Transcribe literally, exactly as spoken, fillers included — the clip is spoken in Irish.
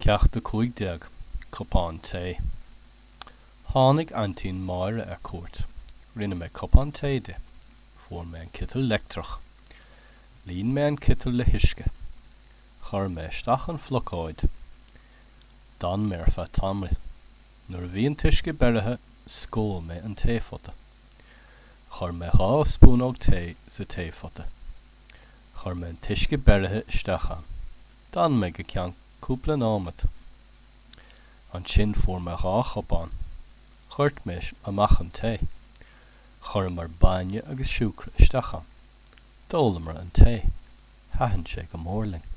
Ceacht a cúig déag, Cupán tae. Tháinig aintín Máire ar cuairt. Rinne mé cupán tae di. Fuair mé an citeal leictreach. Líon mé an citeal le huisce. Chuir mé isteach an phlocóid. D'fhan mé ar feadh tamaill. Nuair a bhí an t-uisce beirithe, scóil mé an taephota. Chuir mé dhá spúnóg tae sa taephota. Chuir mé an t-uisce beirithe isteach ann. D'fhan mé go ceann cúpla nóiméad. Ansin fuair mé dhá chupán. Dhoirt mé amach an tae. Chuireamar bainne agus siúcra isteach ann. D'ólamar an tae. Thaitin sé go mór linn.